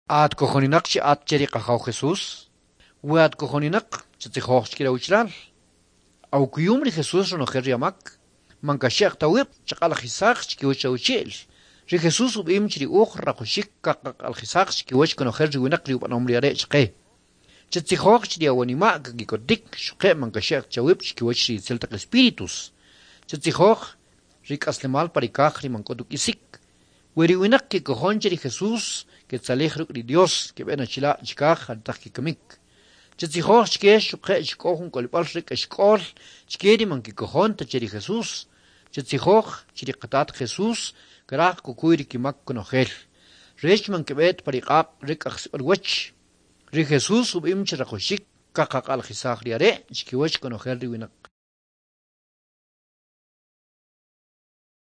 At kojoninaq chi at che ri Qajaw Jesús? We at kojoninaq, chatzijoj chke ri awachalal. Awkuyum ri Jesús ronojel ri amak? Man kaxe'j ta awib', chaq'alajisaj chkiwach awachi'l. Ri Jesús ub'im chi ri uj rajawaxik kaqaq'alajisaj chkiwach konojel ri winaq ri ub'anom ri Are' chqe. Chatzijoj chi ri awanima' kaki'kotik, xuquje' man kaxe'j ta awib' chkiwach ri itzel taq espíritus. Chatzijoj ri k'aslemal pa ri kaj ri man k'o ta uk'isik. We ri winaq kekojon che ri Jesús, ketzalij ruk' ri Dios, keb'e na chila' chikaj aretaq kekamik. Chatzijoj chke xuquje' chi k'o jun k'olib'al re k'axk'ol chke ri man kekojon ta che ri Jesús. Chatzijoj chi ri qatat Jesús karaj kukuy ri kimak konojel, rech man keb'e ta pa ri q'aq' re k'ajsib'al wach. Ri Jesús ub'im chi rajawaxik kaqaq'alajisaj ri Are' chkiwach konojel ri winaq.